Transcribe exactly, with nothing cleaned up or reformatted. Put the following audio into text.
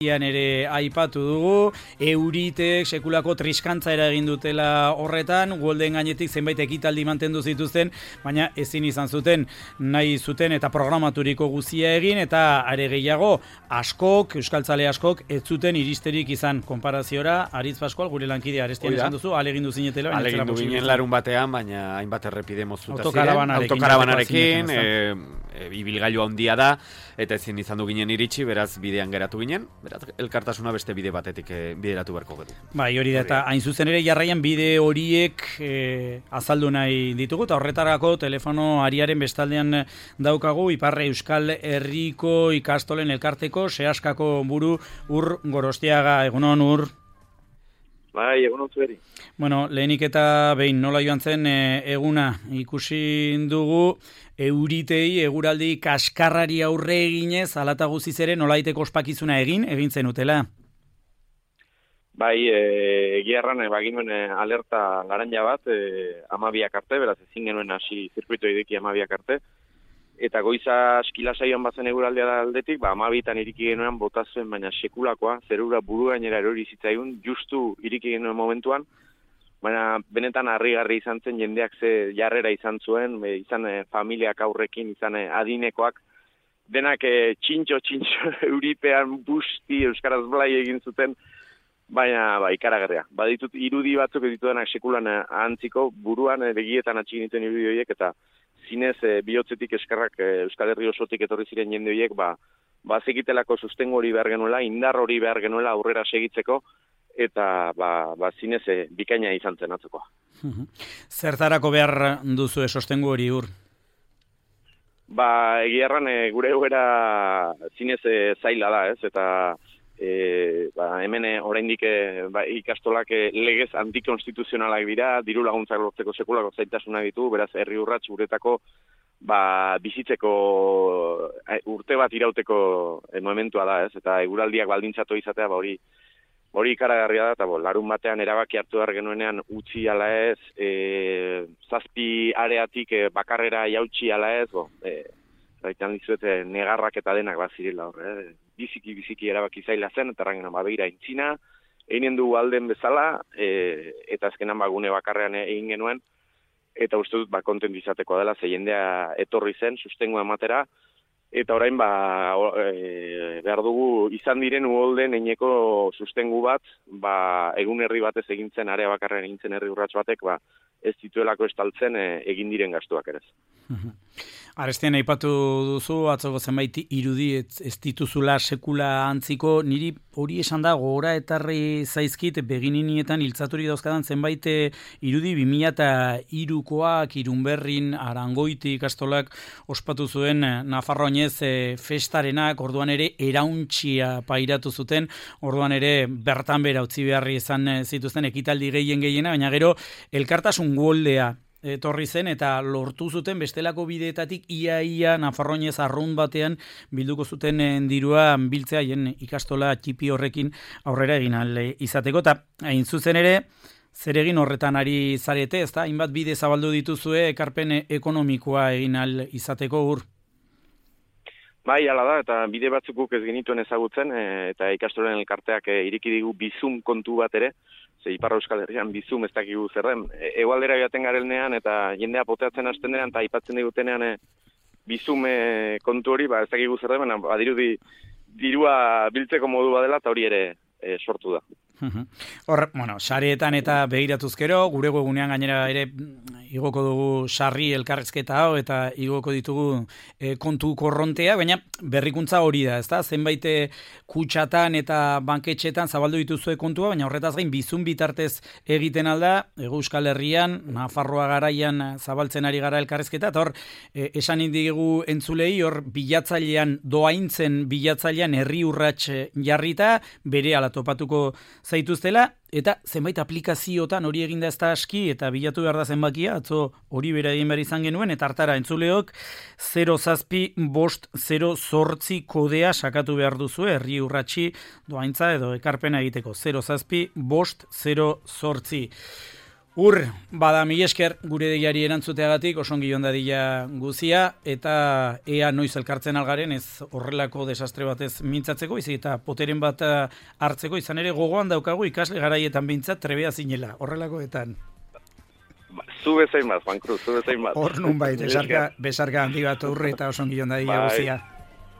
Ian ere aipatu dugu, euritek sekulako triskantza egin dutela horretan, Golden gainetik zenbait ekitaldi mantendu zituzten, baina ezin izan zuten nahi zuten eta programaturiko guzia egin, eta are gehiago askok, euskaltzale askok, ez zuten iristerik izan konparaziora. Aritz Pascual, gure lankidea Arestian esan duzu, alegindu zinetela. Alegindu ginen larun batean, baina hainbat errepide moztuta ziren, autokarabanarekin, autokarabanarekin, e, e, ibilgailu handia da, eta ezin izan du ginen iritsi, beraz bidean geratu ginen, beraz elkartasuna beste bide batetik e, bideratu beharko gedu. Bai, hori da, eta hain zuzen ere jarraian bide horiek e, azaldu nahi ditugu, eta horretarako telefono ariaren bestaldean daukagu Ipar Euskal Herriko ikastolen elkarteko sehaskako buru Ur Gorostiaga. Egunon, Ur? Bai, egunon zueri. Bueno, lehenik eta behin nola joan zen e, eguna ikusi dugu, euritei eguraldi kaskarrari aurre eginez, alata guziz ere nolaiteko ospakizuna egin, egin zenutela? Bai, egia erran, baginuen alerta laranja bat, e, amabiak arte, beraz ezin genuen hasi zirkuito ideki amabiak arte, eta goiza eskila saioan bazen eguraldea da aldetik, ba, amabitan iriki genuen botazuen, baina sekulakoa, zerura buru gainera erori zitzaigun, justu iriki genuen momentuan, baina benetan harrigarri izan zen, jendeak ze jarrera izan zuen, e, izan e, familiak aurrekin, izan e, adinekoak, denak e, txintxo, txintxo, euripean busti, euskaraz blai egin zuten, baina ba, ikaragarria. Baditut irudi batzuk ditudanak sekulan e, antziko, buruan e, begietan atxigin dituen irudi horiek, eta zinez e, bihotzetik eskarrak e, Euskal Herri osotik etorri ziren jende horiek, ba, ba zekitelako sustengo hori behar genuela, indar hori behar genuela aurrera segitzeko, eta ba, ba zinez e, bikaina izan zen atzokoa. Zertarako behar duzu sostengu hori, Ur? Ba, egia erran, e, gure egoera zinez e, zaila da, ez, eta e, ba, hemen e, oraindik e, ba, ikastolak e, legez antikonstituzionalak dira, diru laguntzak lortzeko sekulako zailtasuna ditu, beraz, herri urrats guretako ba, bizitzeko e, urte bat irauteko e, momentua da, ez, eta eguraldiak baldintzatu izatea, ba, hori Hori ikaragarria da, eta bo, larun batean erabaki hartu behar genuenean utzi ala ez, e, zazpi areatik e, bakarrera jautsi ala ez, bo, e, raitan dizuet e, negarrak eta denak bazirela hor, e, biziki, biziki erabaki zaila zen, eta rangenan babeira intzina, egin du alden bezala, e, eta azkenan bagune bakarrean egin genuen, eta uste dut ba, kontent izateko dela, ze jendea etorri zen, sustengo ematera, eta orain ba, e, behar dugu izan diren uholden eineko sustengu bat, ba, egun herri batez egintzen, area bakarren egintzen herri urrats batek, ba, ez dituelako estaltzen e, egin diren gastuak ere. Arestian aipatu duzu, atzoko zenbait irudi ez, ez dituzula sekula antziko, niri hori esan da gora etarri zaizkit begininietan iltzaturi dauzkadan zenbait irudi bi mila hirukoak Irunberrin Arangoiti ikastolak ospatu zuen Nafarroinez e, festarenak, orduan ere erauntxia pairatu zuten, orduan ere bertan bera utzi beharri izan zituzten ekitaldi gehien gehiena, baina gero elkartasun goldea etorri zen eta lortu zuten bestelako bideetatik ia-ia Nafarroinez arrunt batean bilduko zuten dirua biltzea haien ikastola txipi horrekin aurrera egin ahal izateko. Eta hain zuzen ere, zer egin horretan ari zarete, ezta? Hainbat bide zabaldu dituzue ekarpen ekonomikoa egin ahal izateko, Ur? Bai, hala da, eta bide batzuk guk ez genituen ezagutzen, e, eta ikastolen elkarteak e, iriki digu bizum kontu bat ere, ze Ipar Euskal Herrian bizum ez dakigu zer den. E, egualdera joaten garelnean eta jendea poteatzen hasten denean eta aipatzen digutenean e, bizum e, kontu hori, ba ez dakigu zer den, badirudi dirua biltzeko modu badela eta hori ere e, sortu da. Hor, bueno, sareetan eta begiratuz gero, gure webunean gainera ere igoko dugu sarri elkarrezketa hau eta igoko ditugu e, kontu korrontea, baina berrikuntza hori da, ezta? Zenbait kutsatan eta banketxetan zabaldu dituzue kontua, baina horretaz gain bizun bitartez egiten alda, Hego Euskal Herrian, Nafarroa garaian zabaltzen ari gara elkarrezketa, eta hor, e, esan indigu entzulei, hor bilatzailean, doaintzen bilatzailean herri urrats jarrita, bere ala topatuko zaituztela, eta zenbait aplikaziotan hori eginda ez da aski, eta bilatu behar da zenbakia, atzo hori bera egin behar izan genuen, eta hartara entzuleok zero zazpi bost zero zortzi kodea sakatu behar duzu, herri urratsi doaintza edo ekarpena egiteko, zero zazpi bost zero zortzi. Ur, bada mila esker gure deiari erantzuteagatik, osongi joan dadila guzia, eta ea noiz elkartzen algaren, ez horrelako desastre batez mintzatzeko, izi eta poteren bat hartzeko, izan ere gogoan daukagu ikasle garaietan bintzat trebea zinela, horrelakoetan. Ba, zu bezain bat, Juan Cruz, zu bezain bat. Hor nun bait, besarka, besarka handi bat urre eta osongi joan dadila guzia.